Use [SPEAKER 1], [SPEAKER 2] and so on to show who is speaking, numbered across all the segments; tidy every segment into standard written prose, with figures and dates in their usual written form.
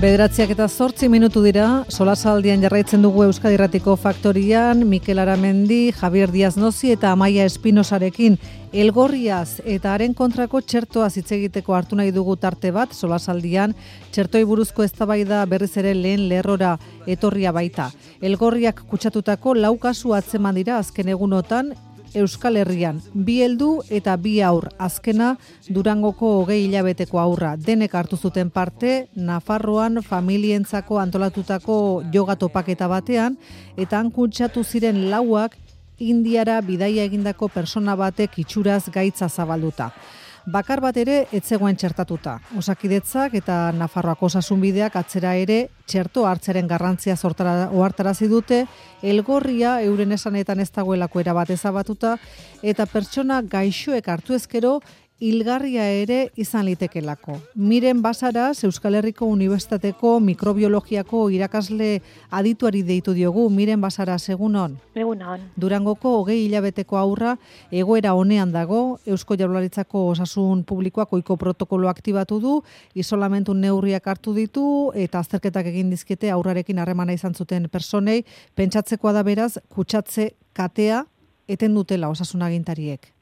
[SPEAKER 1] 9:08 dira, solasaldian jarraitzen dugu Euskadi Irratiko Faktorian, Mikel Aramendi, Javier Díaz Nozi eta Amaia Espinosarekin Elgorriaz eta haren kontrako txertoaz hitz egiteko hartu nahi dugu tarte bat, solasaldian txertoi buruzko eztabaida berriz ere lehen lerrora etorria baita. Elgorriak kutsatutako 4 kasu atzeman dira azken egunotan, Euskal Herrian, 2 heldu eta 2 haur, azkena Durangoko 20 hilabeteko haurra. Denek hartu zuten parte, Nafarroan familientzako antolatutako yoga topaketa batean, eta han kutsatu ziren 4ak Indiara bidaia egindako persona batek itxuraz gaitza zabalduta. Bakar bat ere ez zegoen txertatuta. Osakidetzak eta Nafarroako osasunbideak atzera ere txerto hartzaren garrantzia ohartarazi dute, Elgorria euren esanetan ez dagoelako erabat ezabatuta eta pertsona gaixoek hartu ezkero hilgarria ere izan litekelako. Miren Basaras, Euskal Herriko Unibertsitateko mikrobiologiako irakasle adituari deitu diogu. Miren Basaras, egunon?
[SPEAKER 2] Egunon.
[SPEAKER 1] Durangoko 20 hilabeteko haurra egoera onean dago, Eusko Jaurlaritzako Osasun Publikoak ohiko protokolo aktibatu du, isolamentu neurriak hartu ditu eta azterketak egin dizkiete haurrarekin harremana izan zuten personei. Pentsatzekoa da beraz, kutsatze katea eten dutela osasun agintariek.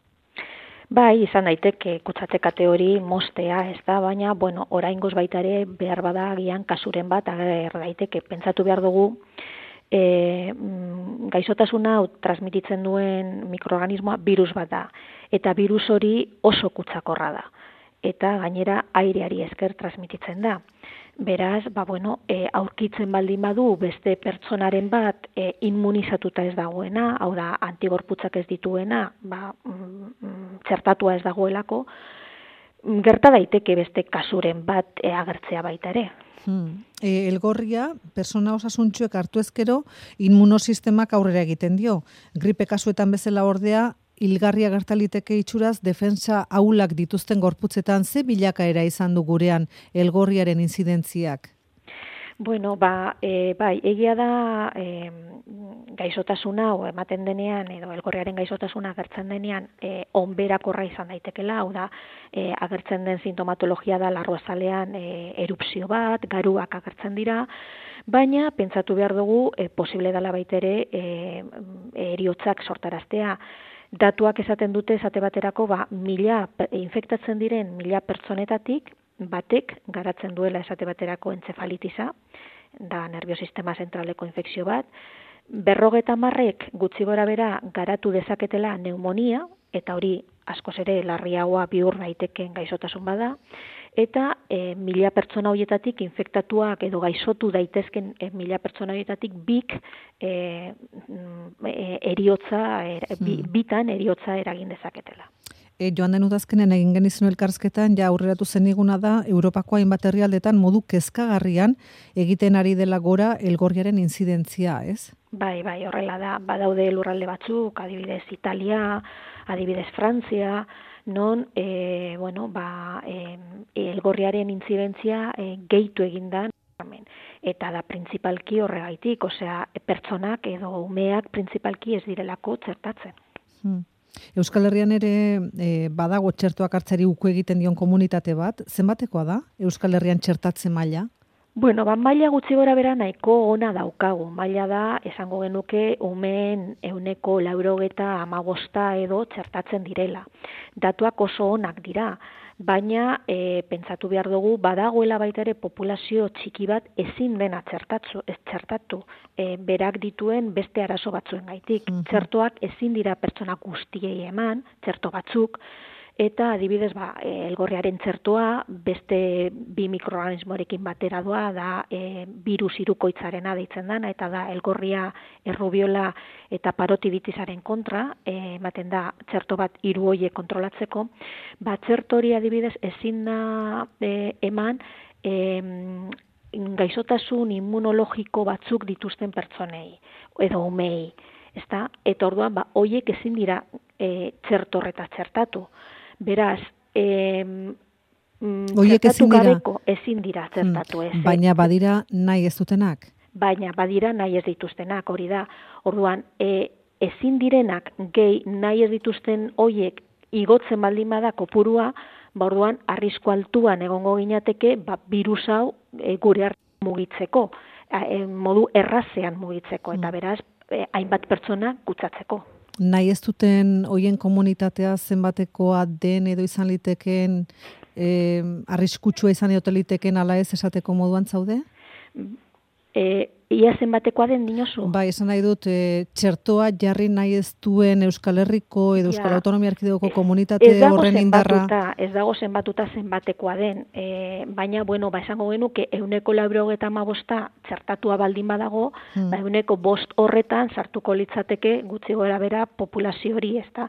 [SPEAKER 2] Bai, izan daiteke kutsatze kate hori mostea, ez da, baina, oraingoz baita ere behar bada agian kasuren bat ager daiteke. Pentsatu behar dugu, gaixotasuna transmititzen duen mikroorganismoa virus bat da, eta virus hori oso kutsakorra da, eta gainera aireari esker transmititzen da. Beraz, aurkitzen baldin badu beste pertsonaren bat immunizatuta ez dagoena, hau da, antigorputzak ez dituena, txertatua ez dagoelako, gerta daiteke beste kasuren bat agertzea baita ere.
[SPEAKER 1] Elgorria, persona osasuntsuek hartu ezkero, immunosistemak aurrera egiten dio. Gripe kasuetan bezala ordea, hilgarria gertaliteke itxuraz, defensa ahulak dituzten gorputzetan ze bilakaera izan du gurean Elgorriaren inzidentziak?
[SPEAKER 2] Bai, egia da gaixotasuna o ematen denean edo Elgorriaren gaixotasuna agertzen denean onberakorra izan daitekela, hau da agertzen den sintomatologia da larruazalean erupzio bat, garuak agertzen dira, baina pentsatu behar dugu posible dela baita ere heriotzak sortaraztea. Datuak esaten dute esate baterako infektatzen diren 1000 pertsonetatik batek garatzen duela esate baterako entzefalitisa, da nerviosistema zentraleko infekzio bat, 50 gutxi gorabehera garatu dezaketela pneumonia, eta hori askoz ere larriagoa bihur daitekeen gaixotasun bada, eta 1000 pertsona horietatik infektatuak edo gaixotu daitezken 1000 pertsona horietatik bitan eriotza eragin dezaketela.
[SPEAKER 1] Joan den udazkenen egin genizun elkarrizketan, aurreratu zeniguna da, Europako hainbat herrialdetan modu kezkagarrian egiten ari dela gora Elgorriaren inzidentzia, ez?
[SPEAKER 2] Bai, horrela da. Badaude lurralde batzuk, adibidez Italia, adibidez Frantzia, non Elgorriaren intzidentzia gehitu egindan, eta da printzipalki horregaitik, pertsonak edo umeak printzipalki ez direlako txertatzen.
[SPEAKER 1] Euskal Herrian ere badago txertoak hartzari uko egiten dion komunitate bat, zenbatekoa da Euskal Herrian txertatze maila?
[SPEAKER 2] Maila gutxi gorabehera nahiko ona daukagu. Maila da, esango genuke, umeen 95 edo txertatzen direla. Datuak oso onak dira, baina pentsatu behar dugu, badagoela baita ere populazio txiki bat ezin dena txertatu berak dituen beste arazo batzuen gaitik. Txertoak ezin dira pertsona guztiei eman, txerto batzuk, eta adibidez, Elgorriaren txertoa beste 2 mikroorganismorekin batera doa, da virus hirukoitzarena deitzen dana, eta da Elgorria, errubiola eta parotiditisaren kontra, ematen da txerto bat 3 horiek kontrolatzeko, txerto hori adibidez ezin da eman gaixotasun immunologiko batzuk dituzten pertsonei, edo umei, eta orduan horiek ezin dira txerto horretaz txertatu. Beraz, ezin dira txertatu ez.
[SPEAKER 1] Baina badira nahi ez dutenak?
[SPEAKER 2] Baina badira nahi ez dituztenak, hori da. Orduan, ezin direnak gehi nahi ez dituzten horiek igotzen baldin bada kopurua, orduan arrisku altuan egongo ginateke virus hau gure mugitzeko, modu errazean mugitzeko, eta beraz, hainbat pertsona kutsatzeko.
[SPEAKER 1] Nahi ez duten hoien komunitatea zenbatekoa den edo izan litekeen, arriskutsua izan edo liteken ala ez esateko moduan zaude?
[SPEAKER 2] Ia zenbatekoa den dinozu?
[SPEAKER 1] Bai, esan nahi dut, txertoa jarri nahi ez duen Euskal Herriko edo Euskal Autonomia Erkidegoko komunitate horren indarra.
[SPEAKER 2] Ez dago zenbatuta zenbatekoa den, baina, esango genuke 95% txertatua baldin badago, 5% horretan sartuko litzateke gutxi gorabehera populazio hori, ezta?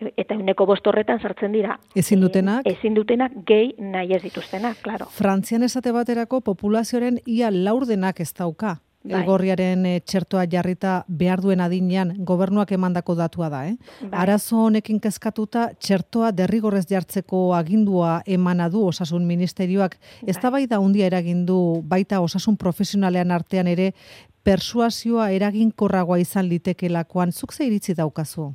[SPEAKER 2] Eta 5% horretan sartzen dira.
[SPEAKER 1] Ezin dutenak?
[SPEAKER 2] Ezin dutenak gehi nahi ez dituztenak, claro.
[SPEAKER 1] Frantzian esate baterako populazioaren ia laurdenak ez dauka. Elgorriaren txertoa jarrita behar duen adinean gobernuak emandako datua da, Arazo honekin kezkatuta txertoa derrigorrez jartzeko agindua emana du Osasun Ministerioak. Eztabaida handia eragin du baita osasun profesionalean artean ere persuasioa eraginkorragoa izan litekelakoan. Zuk ze iritzi daukazu?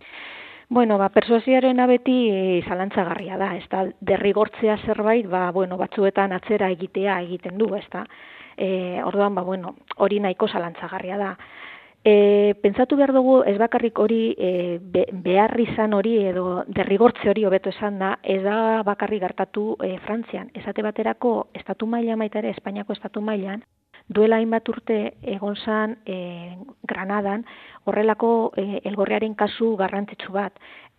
[SPEAKER 2] Persuasioarena beti zalantzagarria da, ezta? Derrigortzea zerbait, batzuetan atzera egiten du, ezta? Orduan, hori nahiko zalantzagarria da. Pentsatu behar dugu, ez bakarrik hori behar izan hori edo derrigortze hori hobeto esan da, ez da bakarrik gertatu Frantzian. Esate baterako, estatu mailan baita ere, Espainiako estatu mailan, duela hainbat urte egon zan Granadan, horrelako elgorriaren kasu garrantzitsu bat.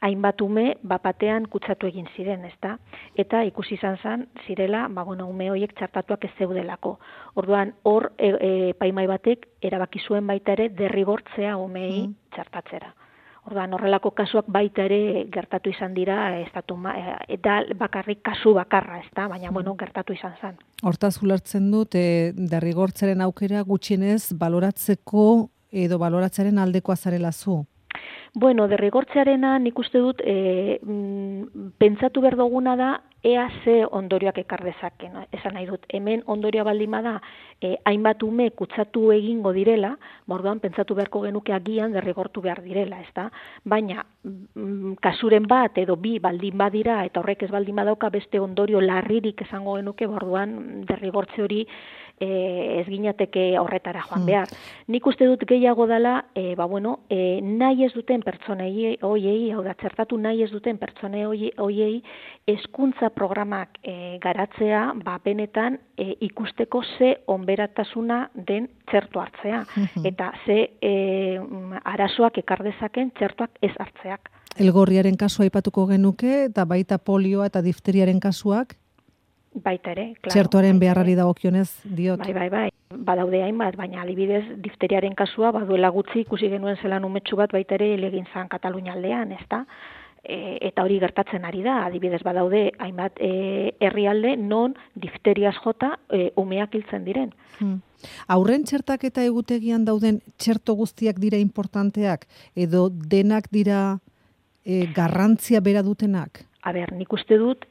[SPEAKER 2] Hainbat ume bapatean kutsatu egin ziren, ezta? Eta ikusi izan zirela, ume horiek txertatuak ez zeudelako. Orduan, hor epaimahai batek erabaki zuen baita ere derrigortzea umei txertatzera. Orduan, horrelako kasuak baita ere gertatu izan dira, eta bakarrik kasu bakarra, ezta? Baina, gertatu izan zen.
[SPEAKER 1] Hortaz ulertzen dut, derrigortzaren aukera gutxienez baloratzeko edo baloratzearen aldekoa zarela zu?
[SPEAKER 2] Derrigortzearena nik uste dut pentsatu behar duguna da ea ze ondorioak ekar dezaken. Esan nahi dut, hemen ondorioa baldin bada hainbat ume kutsatu egingo direla, orduan pentsatu beharko genuke agian derrigortu behar direla, ezta? Baina kasuren bat edo bi baldin badira eta horrek ez baldin badauka beste ondorio larririk esango genuke, orduan derrigortze hori ez ginateke horretara joan behar. Nik uste dut gehiago dela, nahi ez duten pertsonei hoiei, hau da, txertatu nahi ez duten pertsonei hoiei, hezkuntza programak garatzea, benetan ikusteko ze onberatasuna den txerto hartzea, eta ze arazoak ekar dezaken txertoak ez hartzeak.
[SPEAKER 1] Elgorriaren kasua aipatuko genuke, eta baita polioa eta difteriaren kasuak?
[SPEAKER 2] Baita ere, klaro.
[SPEAKER 1] Txertoaren beharrari dagokionez diot.
[SPEAKER 2] Bai. Badaude hainbat, baina adibidez difteriaren kasua baduela gutxi ikusi genuen zelan umetxu bat baita ere egin zan Katalunia aldean, ezta? Eta hori gertatzen ari da, adibidez badaude hainbat herrialde non difteriaz jota umeak hiltzen diren.
[SPEAKER 1] Aurren txertaketa egutegian dauden txerto guztiak dira importanteak edo denak dira garrantzia bera dutenak?
[SPEAKER 2] Nik uste dut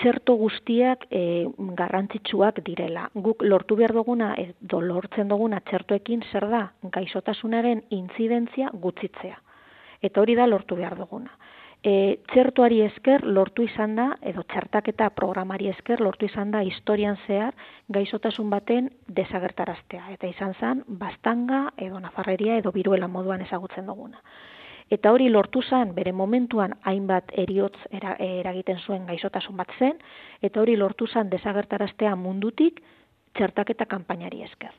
[SPEAKER 2] txerto guztiak garrantzitsuak direla. Guk lortu behar duguna, edo lortzen duguna txertoekin zer da, gaixotasunaren intzidentzia gutxitzea. Eta hori da lortu behar duguna. Txertoari esker lortu izan da, edo txertaketa programari esker lortu izan da historian zehar gaixotasun baten desagertaraztea. Eta izan zen, bastanga, edo nafarreria, edo biruela moduan ezagutzen duguna. Eta hori lortu zen, bere momentuan hainbat heriotz eragiten zuen gaixotasun bat zen, eta hori lortu zen desagertaraztea mundutik txertaketa kanpainari esker.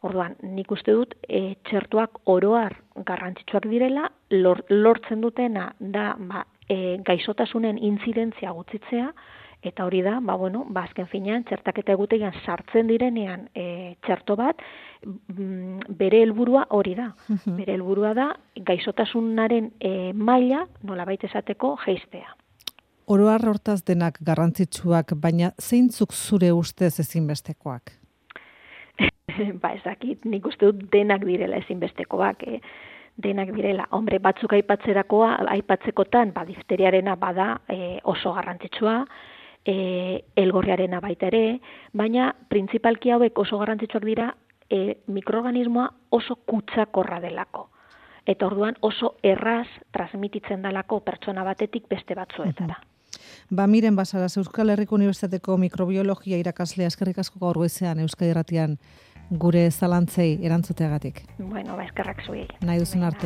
[SPEAKER 2] Orduan, nik uste dut txertuak oroar garrantzitsuak direla, lortzen dutena da gaixotasunen intzidentzia gutxitzea, eta hori da, azken finean, txertaketa egutegian sartzen direnean txerto bat, bere helburua hori da. Bere helburua da, gaixotasunaren maila, nolabait esateko, jeistea.
[SPEAKER 1] Oroar hortaz denak garrantzitsuak, baina zeintzuk zure ustez ezinbestekoak?
[SPEAKER 2] Ez dakit, nik uste dut denak direla ezinbestekoak, denak direla. Hombre, batzuk aipatzekotan, difteriarena bada oso garrantzitsua, elgorriarena baita ere, baina printzipalki hauek oso garrantzitsuak dira mikroorganismoa oso kutsakorra delako. Eta orduan oso erraz transmititzen delako pertsona batetik beste batzuetara.
[SPEAKER 1] Miren Basaras, Euskal Herriko Unibertsitateko mikrobiologia irakaslea, eskerrik asko gaur goizean Euskadi Irratian gure zalantzei erantzuteagatik.
[SPEAKER 2] Bueno, eskerrak zuei.
[SPEAKER 1] Nahi duzun arte.